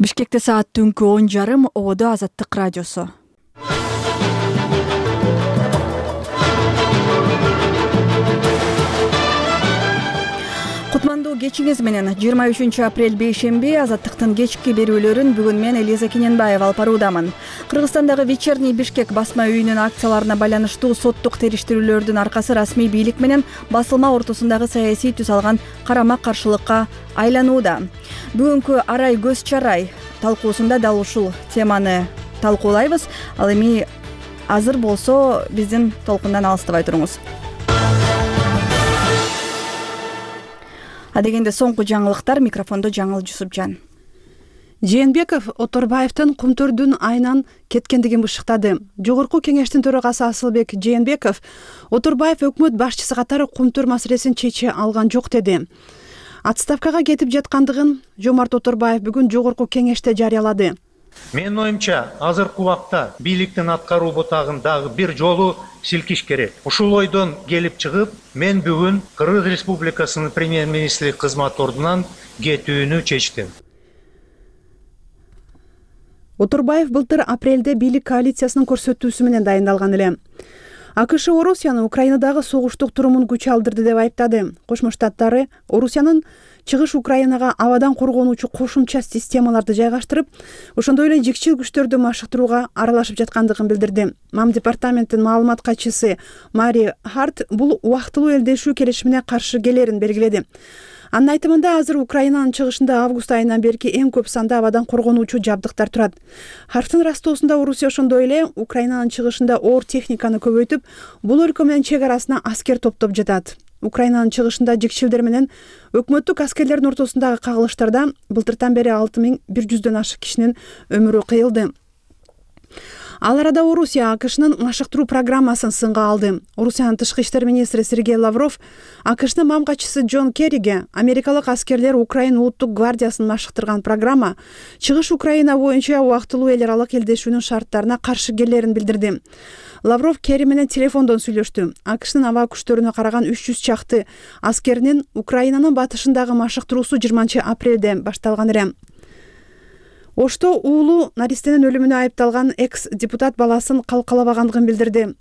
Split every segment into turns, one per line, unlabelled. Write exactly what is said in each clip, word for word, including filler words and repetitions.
Бишкекте саат түнкү он жарым, Ободо Азаттык радиосу. Кутмандуу кечиңиз менен жыйырма үчүнчү апрель бейшемби Азаттыктын кечки берүүлөрүн бүгүн мен Элиза Кененбаева алып баруудамын. Кыргызстандагы Вечерний Бишкек басма үйүнүн акцияларына байланыштуу соттук териштирүүлөрдүн аркасы расмий бийлик менен басылма ортосундагы саясий түс алган карама-каршылыкка айланууда. Бүгүнкү арай көз чарай талкуусунда дал ушул теманы талкуулайбыз. Ал эми азыр болсо биздин толкундан алыстабай туруңуз. Адегенде соңку жаңылыктар, микрофондо Жаңыл Жусупжан.
Жээнбеков Оторбаевдин Кумтурдун айынан кеткендигин бышыктады. Жогорку кеңештин төрагасы Асылбек Жээнбеков Оторбаев өкмөт башчысы катары Кумтур маселесин чече алган жок деди. Отставкага кетип жаткандыгын Жомарт Оторбаев бүгүн жогорку кеңеште жарыялады.
Менин оюмча, азыркы убакта бийликтин аткаруу бутагын дагы бир жолу силкиш керек. Ушул ойдон келип чыгып, мен бүгүн Кыргыз Республикасынын премьер-министри кызмат ордунан кетүүнү чечтим.
Оторбаев былтыр апрелде бийлик коалициясынын көрсөтүүсү менен дайындалган эле. АКШ Орусияны Украинадагы согуштук турумун күч алдырды деп айыптады. Кошмо Штаттары Орусиянын чыгыш Украинага абадан коргонуучу кошумча системаларды жайгаштырып, ошондой эле жикчил күчтөрдү машыктырууга аралашып жаткандыгын билдирди. МАМ департаментинин маалымат катчысы Мари Харт бул убактылуу элдешүү келишимине каршы келерин белгиледи. Анын айтымында азыр Украинанын чыгышында август айынан берки эң көп санда абадан коргонуучу жабдыктар турат. Харфтын растоосунда Орусия ошондой эле Украинанын чыгышында оор техниканы көбөйтүп, бул өлкө менен чек арасына аскер топтоп жатат. Украинанын чыгышында жикчилдер менен өкмөттүк аскерлердин ортосундагы кагылыштарда былтыртан бери алты миң бир жүздөн ашык кишинин өмүрү кыйылды. Ал арада Орусия АКШнын машыктыруу программасын сынга алды. Орусиянын тышкы иштер министри Сергей Лавров АКШнын МАМ катчысы Джон Керриге америкалык аскерлер Украина улуттук гвардиясын машыктырган программа чыгыш Украина боюнча убактылуу эл аралык элдешүүнүн шарттарына каршы келерин билдирди. Лавров Керри менен телефондон сүйлөштү. АКШнын аба күчтөрүнө караган үч жүз чакты аскеринин Украинанын батышындагы машыктыруусу жыйырманчы апрелде башталган эле. Ошто уулу наристенин өлүмүнө айыпталган экс-депутат баласын калкалабагандыгын билдирди.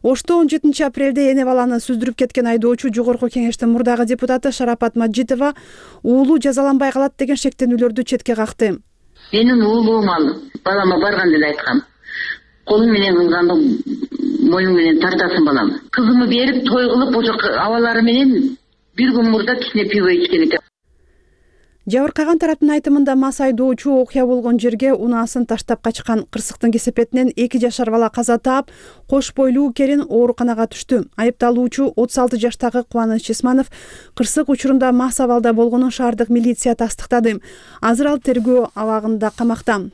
Ошто он жетинчи апрелде эне баланы сүздүрүп кеткен айдоочу жогорку кеңештин мурдагы депутаты Шарапат Маджитова уулу жазаланбай калат деген шектенүүлөрдү четке какты.
Менин уулуум ал балама барган деле айткам. Колум менен кылганды моюң менен тартасың балам. Кызымы берип той кылып ошо абалары менен бир күн мурда кичине пиво ичкен экен.
Жабыркаган тараптын айтымында мас айдоочу окуя болгон жерге унаасын таштап качкан. Кырсыктын кесепетинен эки жашар бала каза таап, кош бойлуу келин ооруканага түштү. Айыпталуучу отуз алты жаштагы Кубаныч Исманов кырсык учурунда мас абалда болгонун шаардык милиция тастыктады. Азыр ал тергөө абагында камакта.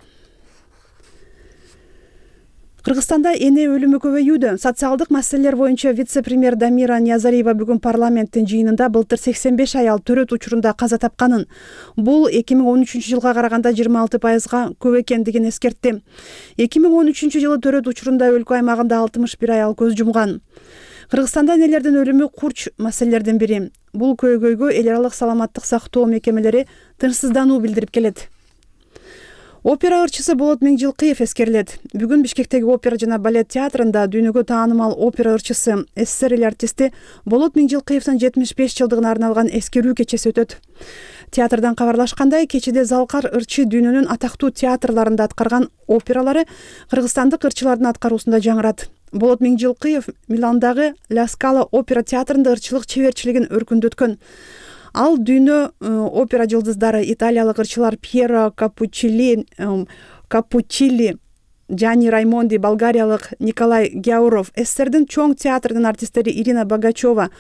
Кыргызстанда эне өлүмү көбөйүүдө. Социалдык маселелер боюнча вице-премьер Дамира Ниязалиева бүгүн парламенттин жыйынында былтыр сексен беш аял төрөт учурунда каза тапканын, бул эки миң он үчүнчү жылга караганда жыйырма алты пайызга көп экендигин эскертти. эки миң он үчүнчү жылы төрөт учурунда өлкө аймагында алтымыш бир аял көз жумган. Кыргызстанда энелердин өлүмү курч маселелердин бири. Бул көйгөйгө эл аралык саламаттык сактоо мекемелери тынчсыздануу билдирип келет. Опера ырчысы Болот Миңжилкыев эскерилет. Бүгүн Бишкектеги опера жана балет театрында дүйнөгө таанымал опера ырчысы СССР эл артисти Болот Миңжилкыевдин жетимиш беш жылдыгына арналган эскерүү кечеси өтөт. Театрдан кабарлашкандай, кечеде Залкар ырчы дүйнөнүн атактуу театрларында аткарган опералары кыргызстандык ырчылардын аткаруусунда жаңырат. Болот Миңжилкыев Миландагы Ла Скала опера театрында ырчылык чеберчилигин өркүндөткөн. Ал дүйнө опера жылдыздары италиялык ырчылар Пьеро Капуччилли, Капуччилли, Джани Раймонди, болгариялык Николай Гяуров, СССРдин чоң театрдын артисттери Ирина Богачева,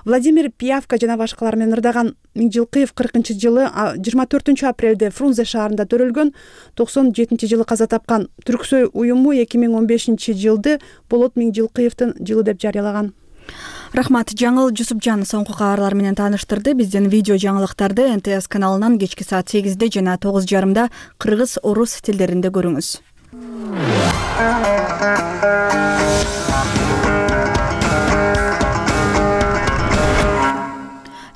Владимир Пиявка жана башкалар менен ырдаган. Миңжилкыев кыркынчы жылы жыйырма төртүнчү апрелде Фрунзе шаарында төрөлгөн, токсон жетинчи жылы каза тапкан. Түрксой уюму эки миң он бешинчи жылды Болот Миңжилкыевдин жылы деп жарыялаган.
Рахмат, Жаңыл Жусупжан соңку кабарлар менен тааныштырды. Биздин видео жаңылыктарды эн тэ эс каналынан кечки саат сегизде жана тогуз жарымда кыргыз, орус тилдеринде көрүңүз.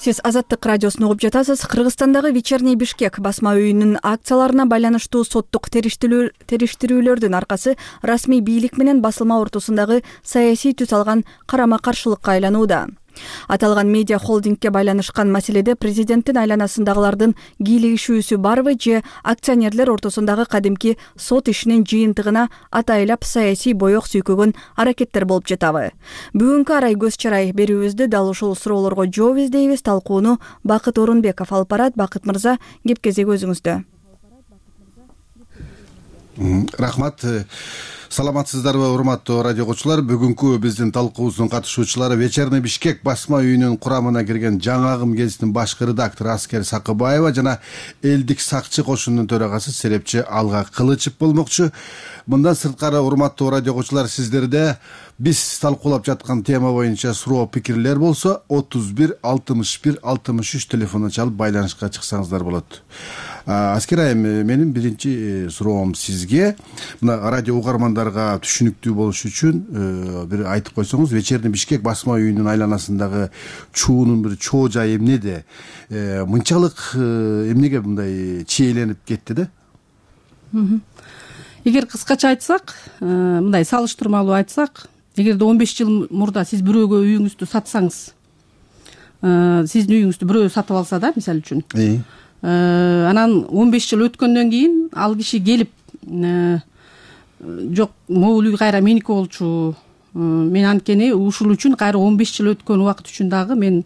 Сиз Азаттык радиосун угуп жатасыз. Кыргызстандагы Вечерний Бишкек басма үйүнүн акцияларына байланыштуу соттук териштирүүлөрдүн аркасы расмий бийлик менен басылма ортосундагы саясий түс алган карама каршылыкка айланууда. Аталган медиа холдингке байланышкан маселеде президенттин айланасындагылардын кийлигишүүсү барбы же акционерлер ортосундагы кадимки сот ишинин жыйынтыгына атайлап саясий боек сүйкөгөн аракеттер болуп жатабы? Бүгүнкү арай көз чарай берүүбүздө дал ушул суроолорго жооп издейбиз. Талкууну Бакыт Орунбеков алып барат. Бакыт мырза, кеп кезеги өзүңүздө.
Рахмат. Саламатсыздарбы, урматтуу радио окуучулар? Бүгүнкү биздин талкуубуздун катышуучулары Вечерний Бишкек басма үйүнүн курамына кирген жаңагым гезитинин башкы редактору Аскер Сакыбаева жана элдик сакчы кошунунун төрагасы серепчи Алга Кылычев болмокчу. Мындан сырткары, урматтуу радио окуучулар, сиздерде биз талкуулап жаткан тема боюнча суроо пикирлер болсо отуз бир алтымыш бир алтымыш үч телефонун чалып байланышка чыксаңыздар болот. Аскер айым, менин биринчи суроом сизге. Мына радио угармандарга түшүнүктүү болуш үчүн бир айтып койсоңуз, Вечерний Бишкек басма үйүнүн айланасындагы чуунун бир чоо жайы эмнеде? Мынчалык эмнеге мындай чийленип кетти да?
Эгер кыскача айтсак, мындай салыштырмалуу айтсак, эгерде он беш жыл мурда сиз бирөөгө үйүңүздү сатсаңыз, сиздин үйүңүздү бирөө сатып алса да, мисалы үчүн, анан он беш жыл өткөндөн кийин ал киши келип, жок, могул үй кайра меники болчу, мен анткени ушул үчүн кайра он беш жыл өткөн убакыт үчүн дагы мен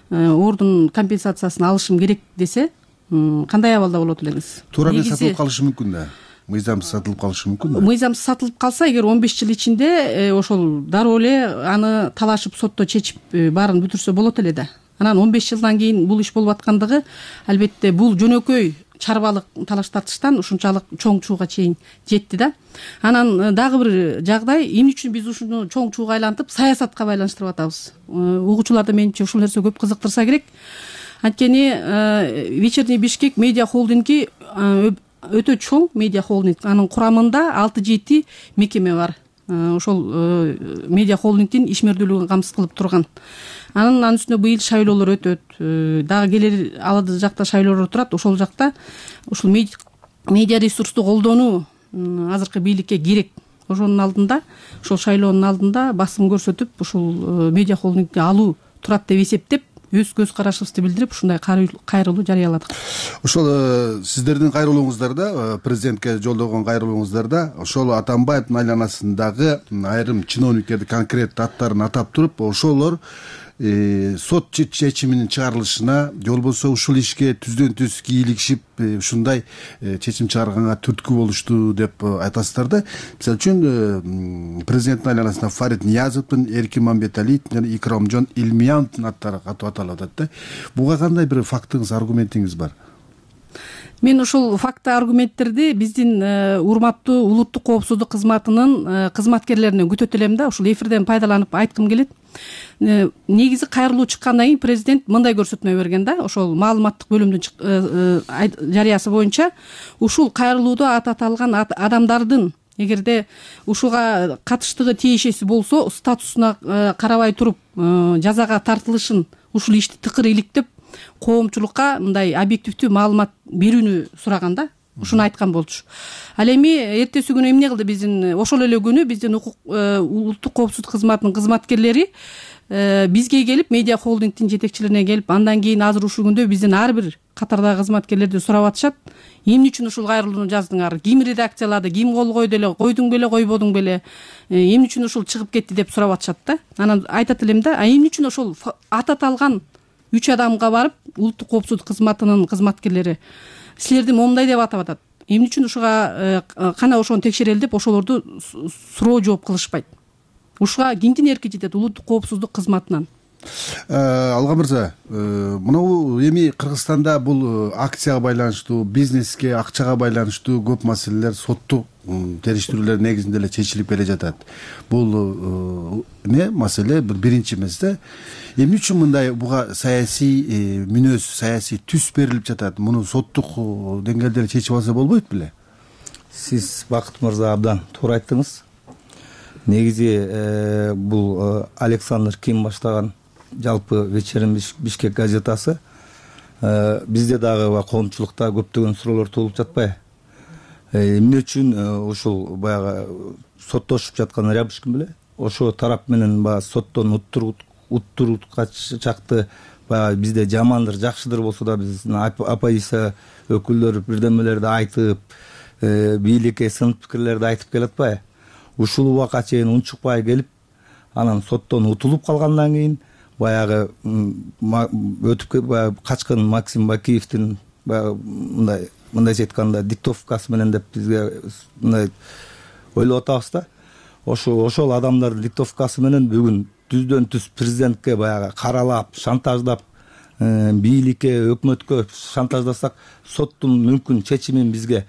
ордун компенсациясын алышым керек десе, кандай абалда болот элеңиз?
Туура менен сатылып калышы мүмкүн да. Мыйзамсыз сатылып калышы мүмкүн да.
Мыйзамсыз сатылып калса, эгер он беш жыл ичинде ошол дароо эле аны талашып сотто чечип баарын бүтүрсө болот эле да. Анан он беш жылдан кийин бул иш болуп аткандыгы, албетте бул жөнөкөй чарбалык талаш тартыштан ушунчалык чоң чууга чейин жетти да. Анан дагы бир жагдай, эмне үчүн биз ушуну чоң чууга айлантып саясатка байланыштырып атабыз? Угуучуларды менимче ушул нерсе көп кызыктырса керек. Анткени Вечерний Бишкек медиа холдинги өтө чоң медиа холдинг. Анын курамында алты жети мекеме бар. Ошол медиа холдингдин ишмердүүлүгүн камсыз кылып турган. Анын анын үстүнө быйыл шайлоолор өтөт. Дагы келер алады жакта шайлоолор турат. Ошол жакта ушул медиа ресурсту колдонуу азыркы бийликке керек. Ошонун алдында, ошол шайлоонун алдында басым көрсөтүп, ушул медиа холдингди алуу турат деп эсептеп, өз көз карашыбызды билдирип, ушундай кайрылуу жарыяладык.
Ошол сиздердин кайрылууңуздарда, президентке жолдогон кайрылууңуздарда, ошол Атамбаевдин айланасындагы айрым чиновниктерди конкреттүү аттарын атап туруп, ошолор сот чечиминин чыгарылышына, же болбосо ушул ишке түздөн түз кийлигишип, ушундай чечим чыгарганга түрткү болушту деп айтасыздар да. Мисалы үчүн президенттин айланасында Фарид Ниязовдун, Эркин Мамбеталиев жана Икрамжон Илмияновдун аттары катуу аталып атат да. Буга кандай бир фактыңыз, аргументиңиз бар?
Мен ушул факты, аргументтерди биздин урматтуу улуттук коопсуздук кызматынын кызматкерлеринен күтөт элем да. Ушул эфирден пайдаланып айткым келет. Негизи кайрылуу чыккандан кийин президент мындай көрсөтмө берген да. Ошол маалыматтык бөлүмдүн жарыясы боюнча ушул кайрылууда аты аталган адамдардын эгерде ушуга катыштыгы тиешеси болсо, статусуна карабай туруп жазага тартылышын, ушул ишти тыкыр иликтеп коомчулукка мындай объективдүү маалымат берүүнү сураган да. Ушуну айткан болчу. Ал эми эртеси күнү эмне кылды биздин, ошол эле күнү биздин улуттук коопсуздук кызматынын кызматкерлери бизге келип, медиа холдингдин жетекчилерине келип, андан кийин азыр ушул күндө биздин ар бир катардагы кызматкерлерди сурап атышат. Эмне үчүн ушул кайрылууну жаздыңар? Ким редакциялады? Ким кол койду эле? Койдуң беле, койбодуң беле? Эмне үчүн ушул чыгып кетти деп сурап атышат да. Анан айтат элем да, а эмне үчүн ошол аты аталган үч адамга барып, улуттук коопсуздук кызматынын кызматкерлери силерди момундай деп атап атат. Эмне үчүн ушуга кана ошону текшерели деп ошолорду суроо жооп кылышпайт? Ушуга кимдин эрки жетет? Улуттук коопсуздук кызматынан.
Алга мырза, мына эми Кыргызстанда бул акцияга байланыштуу, бизнеске, акчага байланыштуу көп маселелер соттук териштирүүлөр негизинде эле чечилип келе жатат. Бул эмне маселе бир биринчи эмес да. Эмне үчүн мындай буга саясий мүнөз, саясий түс берилип жатат? Муну соттук деңгээлде чечип алса болбойт беле?
Сиз Бакыт мырза абдан туура айттыңыз. Негизи бул Александр Ким баштаган жалпы вечерний Бишкек газетасы. Бизде дагы коомчулукта көптөгөн суроолор туулуп жатпайбы? Эмне үчүн ушул баягы соттошуп жаткан Рябушкин беле ошо тарап менен баягы соттон уттурууга чакты баягы бизде жамандыр жакшыдыр болсо да биздин оппозиция өкүлдөрү бирдемелерди айтып, бийликке сын пикирлерди айтып келатпайбы? Ушул убакка чейин унчукпай келип, анан соттон утулуп калгандан кийин баягы өтүп баягы качкан Максим Бакиевдин баягы мындай мындайча айтканда диктовкасы менен деп бизге мындай ойлоп атабыз да. Ошо ошол адамдардын диктовкасы менен бүгүн түздөн түз президентке баягы каралап, шантаждап, бийликке, өкмөткө шантаждасак, соттун мүмкүн чечимин бизге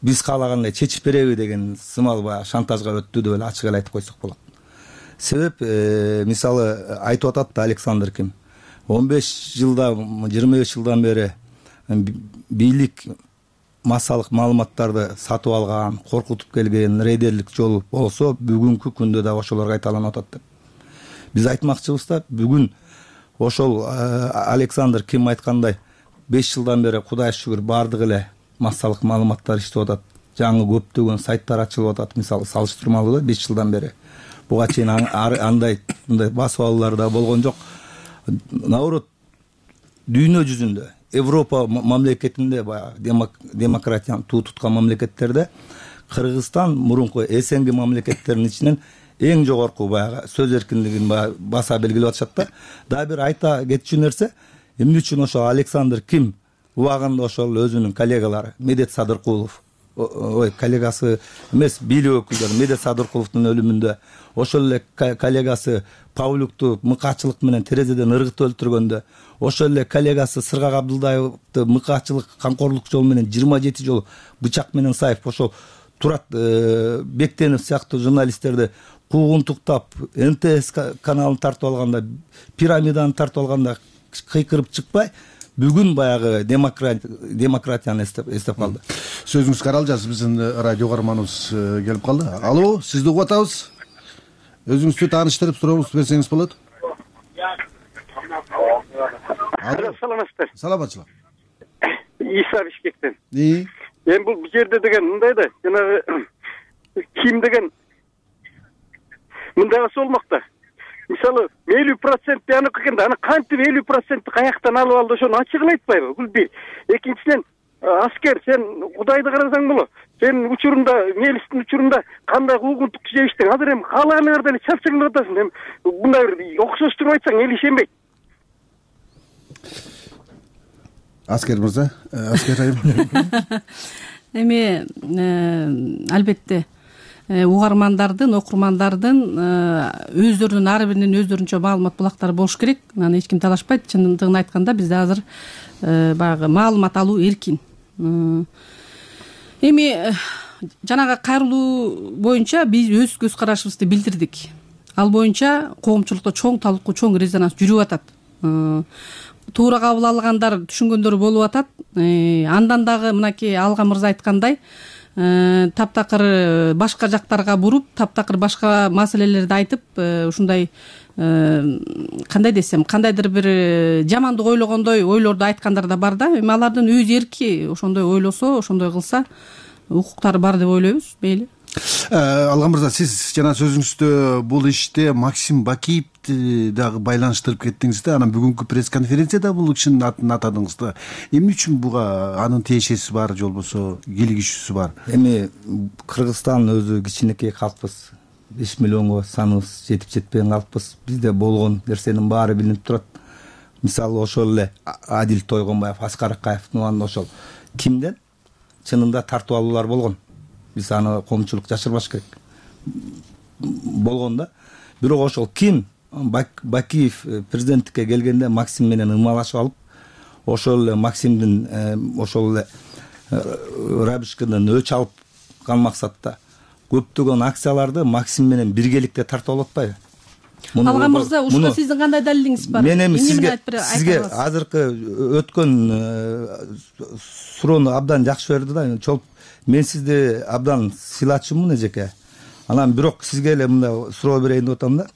биз каалагандай чечип береби деген сымал баягы шантажга өттү деп эле ачык эле айтып койсок болот. Себеп мисалы айтып атат да Александр Ким. он беш жылда, жыйырма беш жылдан бери бийлик массалык маалыматтарды сатып алган, коркутуп келген, рейдерлик жол болсо, бүгүнкү күндө да ошолор кайталанып атат деп. Биз айтмакчыбыз да, бүгүн ошол Александр Ким айткандай беш жылдан бери Кудайга шүгүр бардык эле массалык маалыматтар иштеп атат. Жаңы көптөгөн сайттар ачылып атат, мисалы салыштырмалуу да беш жылдан бери. Буга чейин андай мындай басып алуулар да болгон жок. Наоборот, дүйнө жүзүндө Европа мамлекетинде баягы демократияны туу туткан мамлекеттерде Кыргызстан мурунку СНГ мамлекеттеринин ичинен эң жогорку баягы сөз эркиндигин баса белгилеп атышат да. Дагы бир айта кетчү нерсе, эмне үчүн ошо Александр Ким убагында ошол өзүнүн коллегалары Медет Садыркулов, ой, коллегасы эмес, бийлик өкүлдөрү Медет Садыркуловдун өлүмүндө, ошол эле коллегасы Павлюкту мыкаачылык менен терезеден ыргытып өлтүргөндө, ошол эле коллегасы Сыргак Абдылдаевди мыкаачылык, камкорлук жолу менен жыйырма жети жолу бычак менен сайып, ошол Турат Бектенов сыяктуу журналисттерди куугунтуктап, Н Т С каналын тартып алганда, пирамиданы тартып алганда кыйкырып чыкпай, бүгүн баягы демократияны эстеп калды.
Сөзүңүз каралжасыз, биздин радио каарманыбыз келип калды. Алло, сизди угуп атабыз. Өзүңүздү тааныштырып сурооңузду берсеңиз болот.
Алло, саламатсыздар.
Саламатчылык.
Иса Бишкектен.
И?
Эми бул жерде деген мындай да, жанагы Ким деген мындай болмок да. Мисалы, элүү процент аныкы экен да, аны кантип элүү процентти каяктан алып алды, ошону ачык эле айтпайбы? Бул бир. Экинчиден, аскер, сен Кудайды карасаң боло. Сен учурунда, мелистин учурунда кандай куугунтук жебиштиң? Азыр эми каалаганыңарды эле чапчаңдап атасың. Эми мындай бир окшоштуруп айтсаң эл ишенбейт.
Аскер мырза, аскер айым.
Эми албетте угармандардын, окурмандардын өздөрүнүн ар биринин өздөрүнчө маалымат булактары болуш керек. Аны эч ким талашпайт. Чындыгын айтканда бизде азыр баягы маалымат алуу эркин. Эми жанагы кайрылуу боюнча биз өз көз карашыбызды билдирдик. Ал боюнча коомчулукта чоң талкуу, чоң резонанс жүрүп атат. Туура кабыл алгандар, түшүнгөндөр болуп атат. Андан дагы мынакей Алга мырза айткандай, таптакыр башка жактарга буруп, таптакыр башка маселелерди айтып, ушундай кандай десем, кандайдыр бир жамандык ойлогондой ойлорду айткандар да бар да. Эми алардын өз эрки, ошондой ойлосо, ошондой кылса укуктары бар деп ойлойбуз, мейли.
Алга мырза, сиз жана сөзүңүздө бул иште Максим Бакиевди дагы байланыштырып кеттиңиз да, анан бүгүнкү пресс-конференцияда бул кишинин атын атадыңыз да. Эмне үчүн буга анын тиешеси бар, же болбосо кийлигишүүсү бар?
Эми Кыргызстан өзү кичинекей калкпыз. беш миллионго саныбыз жетип жетпеген калкпыз. Бизде болгон нерсенин баары билинип турат. Мисалы ошол эле Адил Тойгонбаев, Аскар Акаевдин убагында ошол Кимден чынында тартып алуулар болгон. Биз аны коомчулук жашырбаш керек. Болгон да. Бирок ошол Ким Бакиев президенттикке келгенде Максим менен ымалашып алып, ошол эле Максимдин ошол эле Рябушкинден өч алып кан максатта көптөгөн акцияларды Максим менен биргеликте тартып алып атпайбы?
Алга мырза, ушуга сиздин кандай далилиңиз бар?
Мен эми сизге сизге азыркы өткөн суроону абдан жакшы берди да. Чолуп мен сизди абдан сыйлачумун эжеке. Анан бирок сизге эле мындай суроо берейин деп атам да.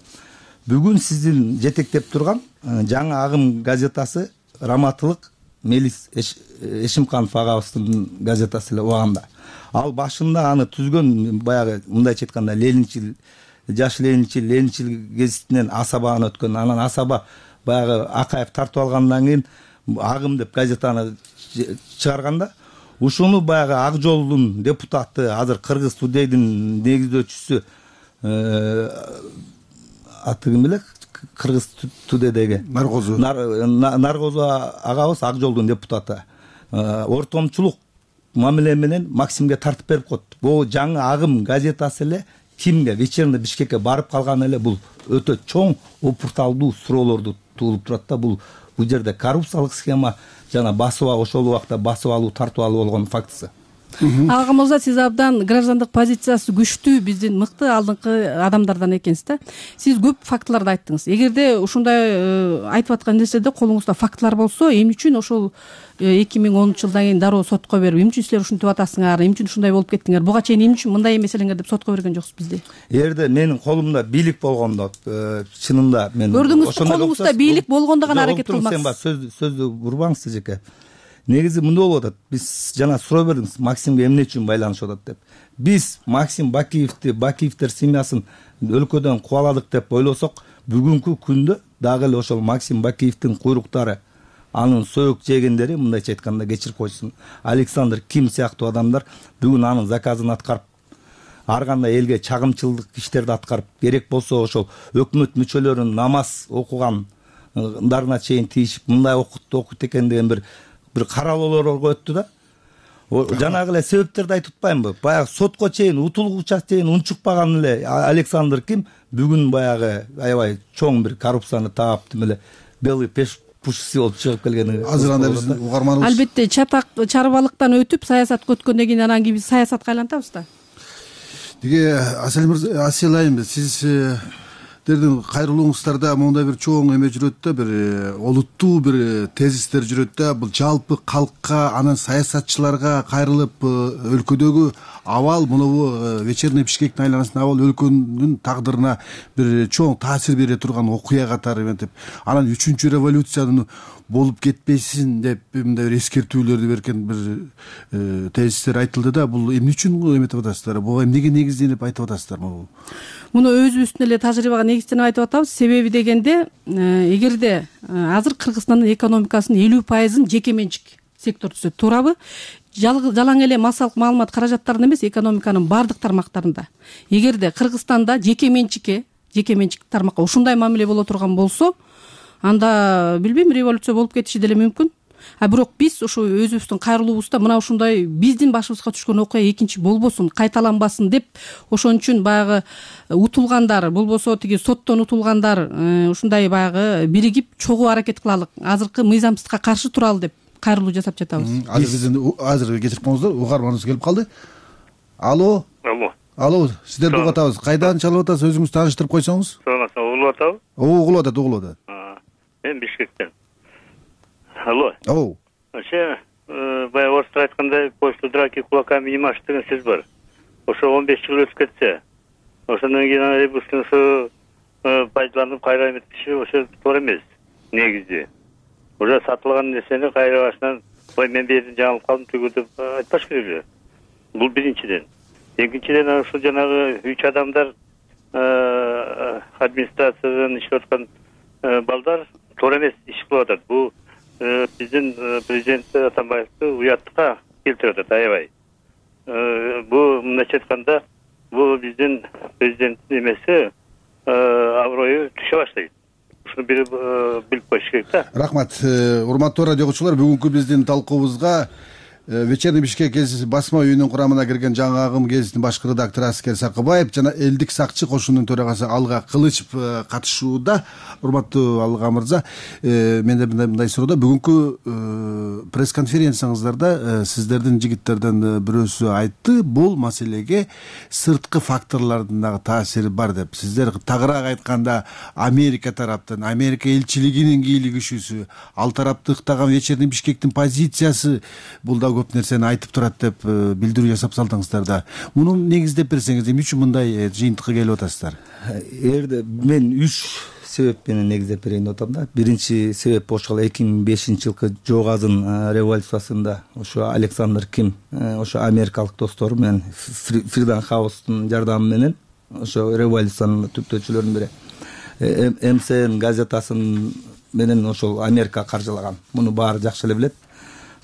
бүгүн сиздин жетектеп турган жаңы агым газетасы раматылык Мелис Эшимканов агабыздын газетасы эле убаганда. Ал башында аны түзгөн баягы мындайча айтканда ленинчил, жаш ленинчил, ленинчил гезитинен Асабаны өткөн. Анан Асаба баягы Акаев тартып алгандан кийин агым деп газетаны чыгарганда, ушуну баягы Ак жолдун депутаты, азыр Кыргыз Тудейдин негиздөөчүсү аты ким эле? Кыргыз Тудейдеги Наргозу Наргозу агабыз Ак жолдун депутаты ортомчулук мамиле менен Максимге тартып берип коет. Бул жаңы агым газетасы эле кимге вечерний Бишкекке барып калган эле бул өтө чоң опурталдуу суроолорду туулуп турат да. Бул бул жерде коррупциялык схема жана басып ошол убакта басып алуу, тартып алуу болгон фактысы.
Агым мырза, сиз абдан граждандык позициясы күчтүү биздин мыкты алдыңкы адамдардан экенсиз да. Сиз көп фактыларды айттыңыз. Эгерде ушундай айтып аткан нерседе колуңузда фактылар болсо, эмне үчүн ошол эки миң онунчу жылдан кийин дароо сотко берип, эмне үчүн силер ушинтип атасыңар, эмне үчүн ушундай болуп кеттиңер, буга чейин эмне үчүн мындай эмес элеңер деп сотко берген жоксуз бизди?
Эгерде менин колумда бийлик болгондо, чынында мен
көрдүңүз, колуңузда бийлик болгондо гана аракет кылмаксыз.
Сен бар сөз сөздү урбаңыз жеке. Негизи мындай болуп атат. Биз жана суроо бердиңиз, Максимге эмне үчүн байланышып атат деп. Биз Максим Бакиевди, Бакиевдер семьясын өлкөдөн кубаладык деп ойлосок, бүгүнкү күндө дагы эле ошол Максим Бакиевдин куйруктары, анын союк жегендери, мындайча айтканда кечирип койсун, Александр Ким сыяктуу адамдар бүгүн анын заказын аткарып, ар кандай элге чагымчылдык иштерди аткарып, керек болсо ошол өкмөт мүчөлөрүнүн намаз окугандарына чейин тийишип, мындай окутtu окуйт экен деген бир бир каралоолорго өттү да. Жанагы эле себептерди айтып атпаймынбы? Баягы сотко чейин, утулгуча чейин унчукпаган эле Александр Ким бүгүн баягы аябай чоң бир коррупцияны таап, тим эле белый пеш пушси болуп чыгып келгени.
Азыр анда биз угарманыбыз.
Албетте чатак чарбалыктан өтүп саясатка өткөндөн кийин анан кийин биз саясатка айлантабыз да.
Диге Асел мырза, Асел айым, сиз дердин кайрылууңуздарда мондай бир чоң эме жүрөт да, бир олуттуу бир тезистер жүрөт да. Бул жалпы калкка, анан саясатчыларга кайрылып, өлкөдөгү абал, мынабу вечерний Бишкектин айланасындагы абал өлкөнүн тагдырына бир чоң таасир бере турган окуя катары эметип, анан үчүнчү революциянын болуп кетпесин деп мындай бир эскертүүлөрдү берген бир тезистер айтылды да. Бул эмне үчүн эметип атасыздар? Буга эмнеге негизденип айтып атасыздар?
Муну өзүбүздүн эле тажрыйбага негизденип айтып атабыз. Себеби дегенде, эгерде азыр Кыргызстандын экономикасынын элүү пайызын жеке менчик сектор түзөт, туурабы? Жалаң эле массалык маалымат каражаттарында эмес, экономиканын бардык тармактарында. Эгерде Кыргызстанда жеке менчикке, жеке менчик тармакка ушундай мамиле боло турган болсо, анда билбейм, революция болуп кетиши деле мүмкүн. А бирок биз ушу өзүбүздүн кайрылуубузда мына ушундай биздин башыбызга түшкөн окуя экинчи болбосун, кайталанбасын деп, ошон үчүн баягы утулгандар, болбосо тиги соттон утулгандар ушундай баягы биригип чогуу аракет кылалык, азыркы мыйзамсыздыкка каршы туралы деп кайрылуу жасап жатабыз.
Азыр биздин азыр кечирип коңуздар, угарманыбыз келип калды. Алло.
Алло.
Алло, сиздерди угуп атабыз. Кайдан чалып атасыз? Өзүңүздү тааныштырып койсоңуз.
Саламатсызбы, угулуп атабы?
Угулуп атат, угулуп атат.
Мен Бишкектен. Алло.
О.
Ошо баягы орустар айткандай, почту драки кулаками не машет деген сөз бар. Ошо он беш жыл өтүп кетсе, ошондон кийин ребусу пайдаланып кайра эметиши ошо туура эмес. Негизи уже сатылган нерсени кайра башынан, ой мен бердим жаңылып калдым түгү деп айтпаш керек эле. Бул биринчиден. Экинчиден ушул жанагы үч адамдар администрациядан иштеп аткан балдар туура эмес иш кылып атат. Бул биздин президент Атамбаевди уяттыкка келтирип атат аябай. Бул мындайча айтканда, бул биздин президенттин эмеси аброю түшө баштайт. Ушуну билип коюш керек да.
Рахмат. Урматтуу радио угуучулар, бүгүнкү биздин талкуубузга Вечерний Бишкек гезити басма үйүнүн курамына кирген жаңы агым гезитинин башкы редактору Аскер Сакыбаев жана элдик сакчы кошунунун төрагасы Алга Кылычев катышууда. Урматтуу Алга мырза, менде мындай суроо. Бүгүнкү пресс-конференцияңыздарда сиздердин жигиттерден бирөөсү айтты, бул маселеге сырткы факторлордун дагы таасири бар деп. Сиздер тагыраак айтканда Америка тараптан, Америка элчилигинин кийлигишүүсү, ал тараптыктаган Вечерний Бишкектин позициясы бул да көп нерсени айтып турат деп билдирүү жасап салдыңыздар да. Муну негиздеп берсеңиз, эмне үчүн мындай жыйынтыкка келип атасыздар?
Эгерде мен үч себеп менен негиздеп берейин деп атам да. Биринчи себеп ошол эки миң бешинчи жылкы жок азын революциясында ошо Александр Ким ошо америкалык достору менен Фридом Хаустун жардамы менен ошо революциянын түптөөчүлөрүнүн бири эм си эн газетасын менен ошол Америка каржылаган. Муну баары жакшы эле билет.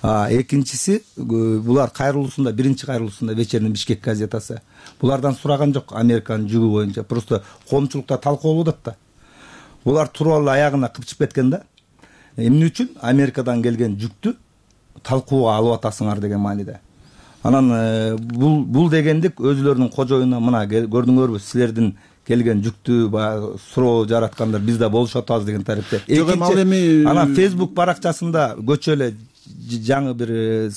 Экинчиси, булар кайрылуусунда, биринчи кайрылуусунда Вечерний Бишкек газетасы. Булардан сураган жок Американын жүгү боюнча. Просто коомчулукта талкуулап атат да. Булар туруп алып аягына кыпчып кеткен да. Эмне үчүн Америкадан келген жүктү талкууга алып атасыңар деген мааниде. Анан бул бул дегендик өзүлөрүнүн кожоюна мына көрдүңөрбү, силердин келген жүктү баягы суроо жараткандар биз да болушуп атабыз деген тарипте. Экинчи, анан Facebook баракчасында көчө эле жаңы бир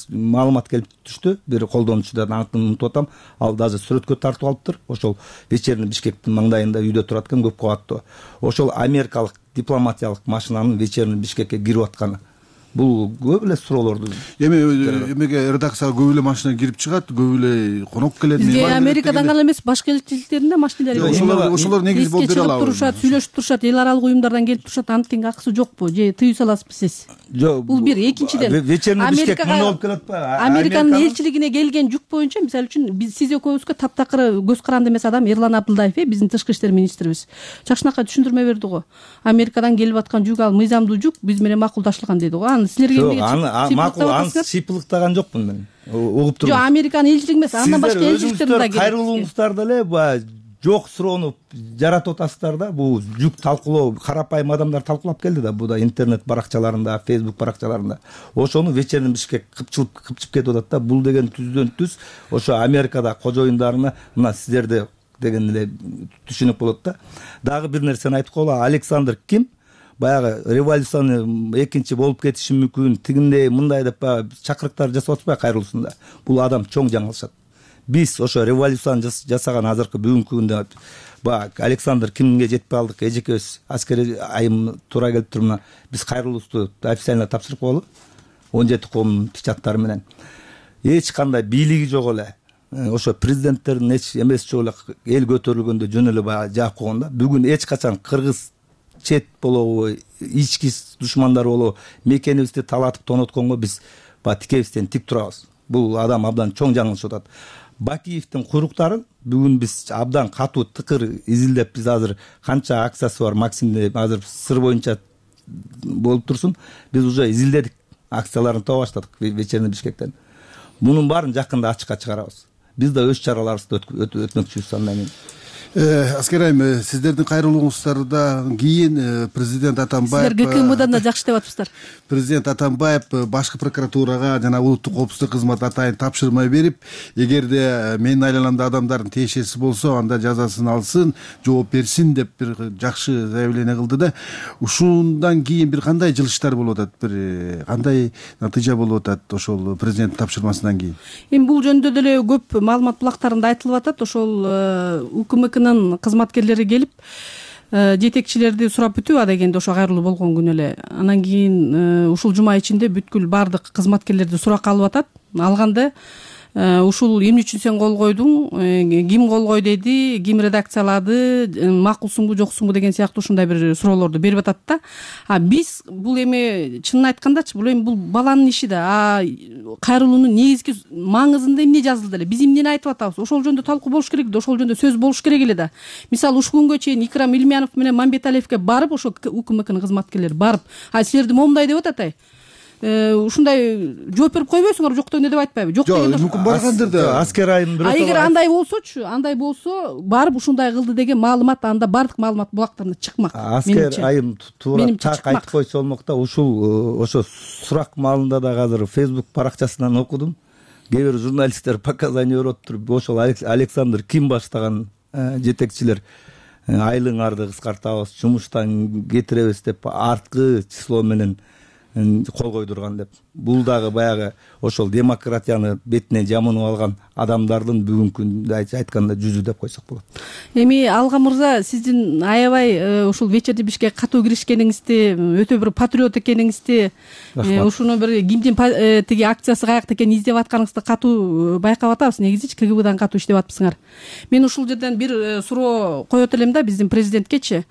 маалымат келип түштү. Бир колдонуучудан атын унутуп атам. Ал даже сүрөткө тартып алыптыр. Ошол Вечерний Бишкектин маңдайында үйдө турат экен, көп кабаттуу. Ошол америкалык дипломатиялык машинанын Вечерний Бишкекке кирип атканы. Бул көп эле суроолорду. Эми
эмеге редакцияга көп эле машина кирип чыгат, көп эле конок келет.
Бизге Америкадан гана эмес, башка элчиликтеринде машиналар бар.
Ошолор ошолор негиз болуп бере алабы.
Турушат, сүйлөшүп турушат, эл аралык уюмдардан келип турушат. Анткени акысы жокпу же тыюу саласызбы сиз?
Жок.
Бул бир. Экинчиден,
Вечерний Бишкек муну болуп келет атпайбы?
Американын элчилигине келген жүк боюнча, мисалы үчүн биз сиз экөөбүзгө таптакыр көз каранды эмес адам Эрлан Абдылдаев, э, биздин тышкы иштер министрибиз. Жакшынакай түшүндүрмө берди го. Америкадан келип аткан жүк ал мыйзамдуу жүк, биз менен макулдашылган деди го. Аны силерге эмнеге
макул, аны сыйпылыктаган жокмун мен. Угуп турмун.
Жок, Американын элчилиги эмес, андан башка элчиликтердин да
кайрылууңуздар деле баягы жок суроону жаратып атасыздар да. Бул жүк талкуулоо карапайым адамдар талкуулап келди да. Бул да интернет баракчаларында, Facebook баракчаларында. Ошону Вечерний Бишкек кыпчылып кыпчып кетип атат да. Бул деген түздөн түз ошо Америкада кожоюндарына мына сиздерди деген эле түшүнүк болот да. Дагы бир нерсени айтып коелу. Александр Ким баягы революцияны экинчи болуп кетиши мүмкүн, тигиндей мындай деп баягы чакырыктар жасап атпайбы кайрылуусунда. Бул адам чоң жаңылышат. Биз ошо революцияны жасаган азыркы бүгүнкү күндө баягы Александр Кимге жетпей алдык. Эжекебиз аскери айым туура келип турмуна биз кайрылуусту официально тапшырып коелу. он жети коомдун печаттары менен. Эч кандай бийлиги жок эле. Ошо президенттердин эч эмеси жок эле, эл көтөрүлгөндө жөн эле баягы жаап койгон да. Бүгүн эч качан кыргыз чет болобу, ички душмандар болобу, мекенибизди талатып тонотконго биз баягы тикебизден тик турабыз. Бул адам абдан чоң жаңылышып атат. Бакиевдин куйруктарын бүгүн биз абдан катуу тыкыр изилдеп, биз азыр канча акциясы бар Максимде азыр сыр боюнча болуп турсун, биз уже изилдедик, акцияларын таба баштадык Вечерний Бишкектен. Мунун баарын жакында ачыкка чыгарабыз. Биз да өз чараларыбызды өтмөкчүбүз андан кийин.
Аскер айым, сиздердин кайрылууңуздардан кийин президент Атамбаев,
силер ГКМдан да жакшы деп атыпсыздар.
Президент Атамбаев башкы прокуратурага жана улуттук коопсуздук кызматы атайын тапшырма берип, эгерде менин айланамда адамдардын тиешеси болсо, анда жазасын алсын, жооп берсин деп бир жакшы заявление кылды да. Ушундан кийин бир кандай жылыштар болуп атат, бир кандай натыйжа болуп атат ошол президенттин тапшырмасынан кийин?
Эми бул жөнүндө деле көп маалымат булактарында айтылып атат. Ошол УКМКнын кызматкерлери келип жетекчилерди сурап бүтүп а дегенде ошо кайрылуу болгон күнү эле. Анан кийин ушул жума ичинде бүткүл баардык кызматкерлерди суракка алып атат. Алганда ушул эмне үчүн сен кол койдуң, ким кол кой деди, ким редакциялады, макулсуңбу жоксуңбу деген сыяктуу ушундай бир суроолорду берип атат да. А биз бул эми чынын айткандачы, бул эми бул баланын иши да. А кайрылуунун негизги маңызында эмне жазылды эле? Биз эмнени айтып атабыз? Ошол жөнүндө талкуу болуш керек да, ошол жөнүндө сөз болуш керек эле да. Мисалы ушул күнгө чейин Икрам Илмянов менен Мамбеталиевке барып, ошо УКМКнын кызматкерлери барып, а силерди момундай деп атат ай. Ушундай жооп берип койбойсуңар, жок дегенде деп айтпайбы? Жок дегенде
мүмкүн баргандыр да.
Аскер айым бирөө.
А эгер андай болсочу, андай болсо, барып ушундай кылды деген маалымат анда бардык маалымат булактарына чыкмак.
Аскер айым туура так айтып койсо болмок да. Ушул ошо сурак маалында да азыр Facebook баракчасынан окудум. Кээ бир журналисттер показания берип туруп, ошол Александр Ким баштаган жетекчилер айлыгыңарды кыскартабыз, жумуштан кетиребиз деп арткы число менен кол койдурган деп. бул дагы баягы ошол демократияны бетине жамынып алган адамдардын бүгүнкү күндө айтканда жүзү деп койсок болот.
Эми Алга мырза, сиздин аябай ушул вечерний Бишкек катуу киришкениңизди, өтө бир патриот экениңизди, ушуну бир кимдин тиги акциясы каякта экенин издеп атканыңызды катуу байкап атабыз. Негизи КГБдан катуу иштеп атпсыңар. Мен ушул жерден бир суроо коет элем да биздин президенткечи.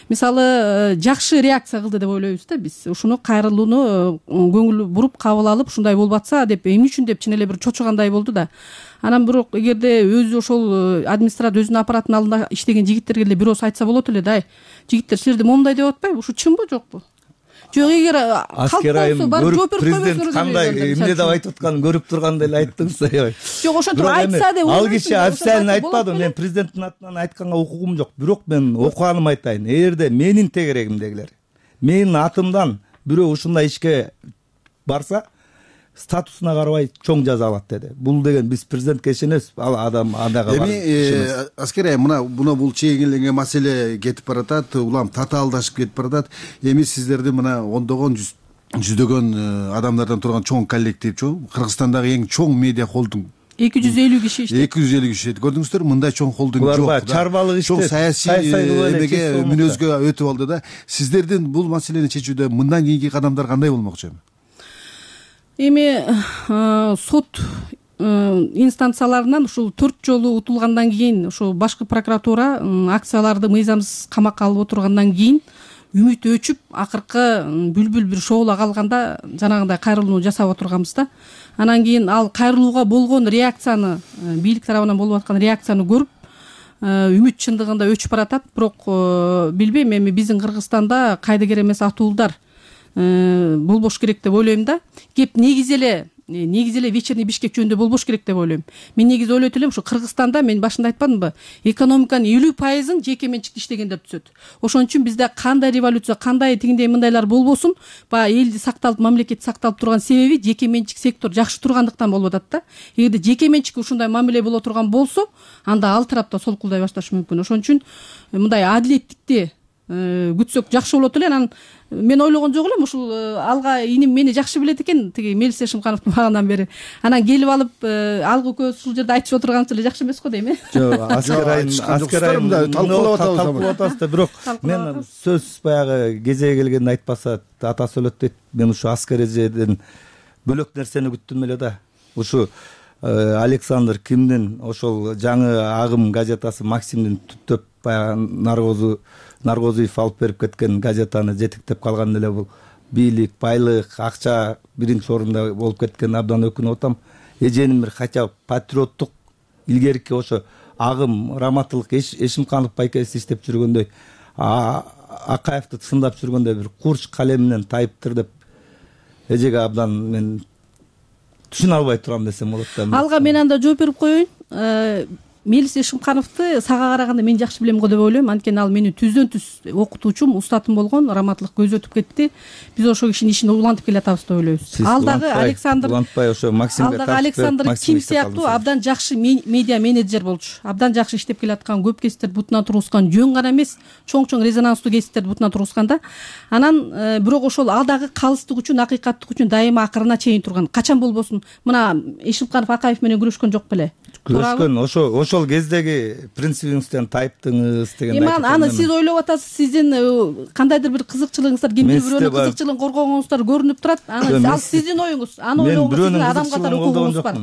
Мисалы, жакшы реакция кылды деп ойлойбуз да биз. Ушуну кайрылууну көңүл буруп кабыл алып, ушундай болуп атса деп, эмне үчүн деп чын эле бир чочугандай болду да. Анан бирок эгерде өзү ошол администрат өзүнүн аппараттын алдында иштеген жигиттерге эле бир ооз айтса болот эле да. Жигиттер силерди момундай деп атпайбы? Ушу чынбы жокпу? Жок, эгер
аскер айым көрүп президент кандай эмне деп айтып атканын көрүп тургандай эле айттыңыз аябай.
Жок, ошентип айтса деп.
Ал киши официально айтпады, мен президенттин атынан айтканга укугум жок. Бирок мен окуганым айтайын. Эгерде менин тегерегимдегилер, менин атымдан бирөө ушундай ишке барса, статусуна карабай чоң жаза алат деди. Бул деген биз президентке ишенебиз, ал адам адага бар.
Эми аскер айым, мына буна бул чегиленген маселе кетип баратат, улам татаалдашып кетип баратат. Эми сиздерди мына ондогон жүздөгөн адамдардан турган чоң коллектив, Кыргызстандагы эң чоң медиа холдинг
эки жүз элүү киши иштейт.
эки жүз элүү киши. Көрдүңүздөр, мындай чоң холдинг жок.
Булар чарбалык иштеп,
чоң саясий эмеге мүнөзгө өтүп алды да. Сиздердин бул маселени чечүүдө мындан кийинки кадамдар кандай болмокчу?
Эми сот инстанцияларынан ушул төрт жолу утулгандан кийин, ушул башкы прокуратура акцияларды мыйзамсыз камакка алып отургандан кийин үмүт өчүп, акыркы бүлбүл бир шоула калганда жанагындай кайрылууну жасап отурганбыз да. Анан кийин ал кайрылууга болгон реакцияны, бийлик тарабынан болуп аткан реакцияны көрүп, үмүт чындыгында өчүп баратат. Бирок билбейм, эми биздин Кыргызстанда кайдыгер эмес атуулдар болбош керек деп ойлойм да. Кеп негизи эле негизи эле вечерний Бишкек жөнүндө болбош керек деп ойлойм. Мен негизи ойлойт элем, ушу Кыргызстанда мен башында айтпадымбы, экономиканын элүү пайызын жеке менчикте иштегендер түзөт. Ошон үчүн бизде кандай революция, кандай тигиндей мындайлар болбосун, баягы элди сакталып, мамлекет сакталып турган себеби жеке менчик сектор жакшы тургандыктан болуп атат да. Эгерде жеке менчикке ушундай мамиле боло турган болсо, анда ал тарапта солкулдай башташы мүмкүн. Ошон үчүн мындай адилеттикти күтсөк жакшы болот эле. Анан мен ойлогон жок элем, ушул Алга иним мени жакшы билет экен, тиги Мелис Эшимкановду багандан бери. Анан келип алып, Алга экөөбүз ушул жерде айтышып отурганыбыз эле жакшы эмес го дейм э?
Жок, аскер айым, аскер айым талкуулап атабыз. Талкуулап атабыз да, бирок мен сөз баягы кезеги келгенде айтпаса атасы өлөт дейт. Мен ушу аскер эжеден бөлөк нерсени күттүм эле да. Ушу Александр Кимдин ошол жаңы агым газетасы Максимдин түптөп баягы наркозу Наркозуев алып берип кеткен газетаны жетектеп калган эле бул бийлик, байлык, акча биринчи орунда болуп кеткен абдан өкүнүп атам. Эженин бир хотя патриоттук илгерки ошо агым Раматылык Эшимканов байкеси иштеп жүргөндөй, Акаевди сындап жүргөндөй бир курч калем менен тайыптыр деп эжеге абдан мен түшүнө албай турам десем болот да.
Алга мен анда жооп берип коеюн. Мелис Эшимкановду сага караганда мен жакшы билем го деп ойлойм. Анткени ал менин түздөн түз окутуучум, устатым болгон. Раматылык көзү өтүп кетти. Биз ошол кишинин ишин улантып келатабыз деп ойлойбуз. Ал дагы Александр
улантпай ошо Максимге
ал дагы Александр Ким сыяктуу абдан жакшы медиа менеджер болчу. Абдан жакшы иштеп келаткан, көп кесиптерди бутуна тургузган, жөн гана эмес, чоң-чоң резонанстуу кесиптерди бутуна тургузган да. Анан бирок ошол ал дагы калыстык үчүн, акыйкаттык үчүн дайыма акырына чейин турган. Качан болбосун, мына Эшимканов Акаев менен күрөшкөн жок беле?
Күрөшкөн, ошо ошол кездеги принцибиңизден тайыптыңыз деген
айтып. Эми аны сиз ойлоп атасыз, сиздин кандайдыр бир кызыкчылыгыңыздар, кимдир бирөөнүн кызыкчылыгын коргогонуңуздар көрүнүп турат. Аны ал сиздин оюңуз. Аны ойлогонго адам катары укугуңуз бар.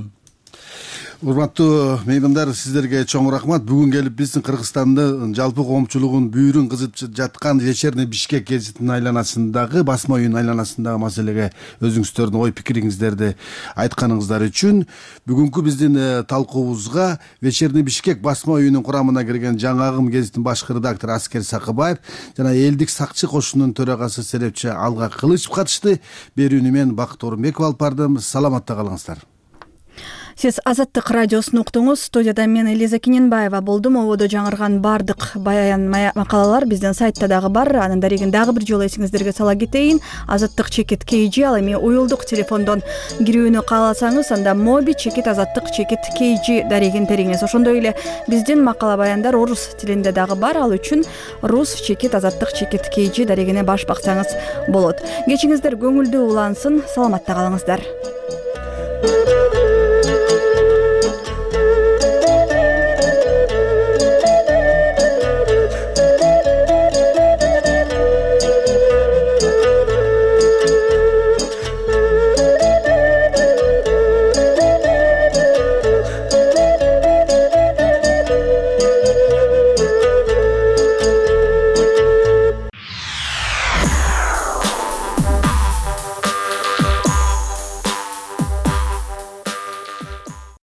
Урматтуу меймандар, сиздерге чоң рахмат. Бүгүн келип биздин Кыргызстандын жалпы коомчулугун бүйүрүн кызып жаткан вечерний Бишкек гезитинин айланасындагы, басма үйүнүн айланасындагы маселеге өзүңүздөрдүн ой пикириңиздерди айтканыңыздар үчүн бүгүнкү биздин талкуубузга вечерний Бишкек басма үйүнүн курамына кирген жаңы агым гезитинин башкы редактору Аскер Сакыбаев жана элдик сакчы кошунунун төрагасы серепчи Алга Кылычев катышты. Берүүнү мен Бакыт Орунбеков алып бардым. Саламатта калыңыздар.
Сиз Азаттык радиосун уктуңуз. Студияда мен Элиза Кененбаева болдум. Ободо жаңырган бардык баян макалалар биздин сайтта дагы бар. Анын дарегин дагы бир жолу эсиңиздерге сала кетейин. Азаттык чекит kg ал эми уюлдук телефондон кирүүнү кааласаңыз, анда моби чекит азаттык чекит kg дарегин териңиз. Ошондой эле биздин макала баяндар орус тилинде дагы бар. Ал үчүн рус чекит азаттык чекит kg дарегине баш баксаңыз болот. Кечиңиздер көңүлдүү улансын. Саламатта калыңыздар.